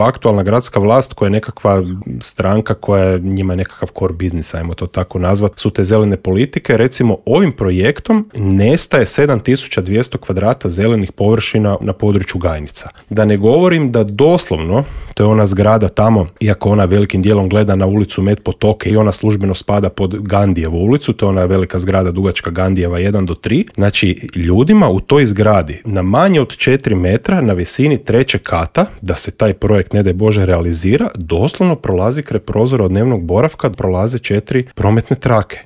aktualna gradska vlast koja je nekakva stranka koja je njima nekakav core biznis, ajmo to tako nazvati, su te zelene politike. Recimo ovim projektom nestaje 7200 kvadrata zelenih površina na području Gajnica. Da ne govorim da doslovno, to je ona zgrada tamo, iako ona velikim dijelom gleda na ulicu Met Potoke i ona službeno spada pod Gandijevu ulicu, to je ona velika zgrada dugačka Gandijeva 1 do 3. Znači, ljudima u toj zgradi na manje od 4 metra na visini 3. kata, da se taj projekt ne daj Bože realizira, doslovno prolazi kraj prozora od dnevnog boravka, prolaze 4 prometne trake.